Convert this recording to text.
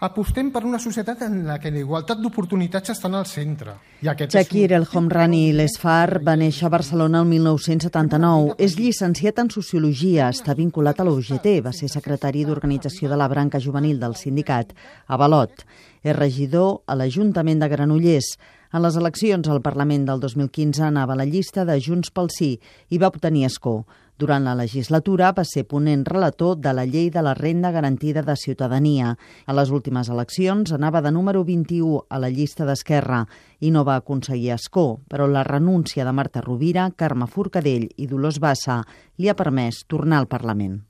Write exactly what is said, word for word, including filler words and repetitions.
Apostem per una societat en la que la igualtat d'oportunitats estan al centre. Shakir El Homrani Lesfar va néixer a Barcelona el mil nou-cents setanta-nou. És llicenciat en Sociologia, està vinculat a l'U G T, va ser secretari d'Organització de la Branca Juvenil del sindicat Avalot. És regidor a l'Ajuntament de Granollers. En les eleccions al Parlament del dos mil quinze anava a la llista de Junts pel Sí i va obtenir escó. Durant la legislatura va ser ponent relator de la Llei de la Renda Garantida de Ciutadania. A les últimes eleccions anava de número vint-i-u a la llista d'Esquerra i no va aconseguir escó, però la renúncia de Marta Rovira, Carme Forcadell i Dolors Bassa li ha permès tornar al Parlament.